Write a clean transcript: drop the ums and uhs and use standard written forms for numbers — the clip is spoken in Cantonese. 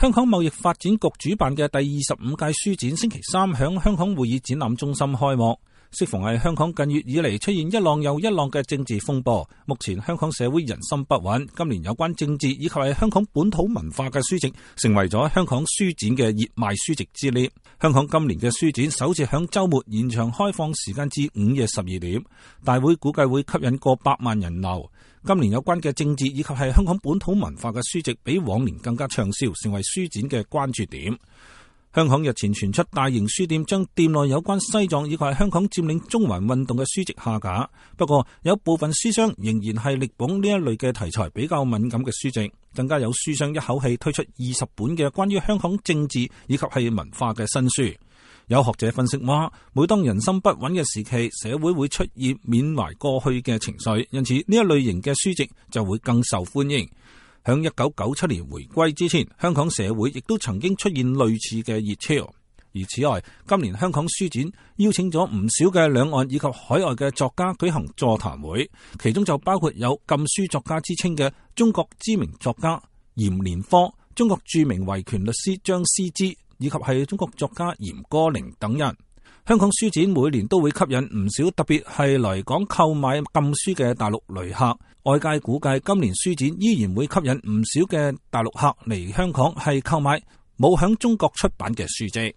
香港貿易發展局主辦嘅第25屆書展星期三響香港會議展覽中心開幕。適逢係香港近月以嚟出現一浪又一浪嘅政治風波，目前香港社會人心不穩，今年有關政治以及係香港本土文化嘅書籍，成為咗香港書展嘅熱賣書籍之列。香港今年嘅書展首次響週末延長開放時間至午夜12點，大會估計會吸引過百萬人流。今年有關嘅政治以及係香港本土文化嘅書籍比往年更加暢銷，成為書展嘅關注點。香港日前傳出大型書店將店內有關西藏以及係香港佔領中環運動嘅書籍下架，不過有部分書商仍然係力捧呢一類嘅題材比較敏感嘅書籍，更加有書商一口氣推出20本嘅關於香港政治以及係文化嘅新書。有學者分析話，每當人心不穩嘅時期，社會會出現緬懷過去嘅情緒，因此呢一類型嘅書籍就會更受歡迎。響1997年回歸之前，香港社會亦都曾經出現類似嘅熱潮。而此外，今年香港書展邀請咗唔少嘅兩岸以及海外嘅作家舉行座談會，其中就包括有禁書作家之稱嘅中國知名作家嚴連科、中國著名維權律師張思之，以及係中國作家嚴歌苓等人。香港書展每年都會吸引唔少，特別係來港購買禁書嘅大陸旅客。外界估計今年書展依然會吸引唔少嘅大陸客嚟香港係購買冇響中國出版嘅書籍。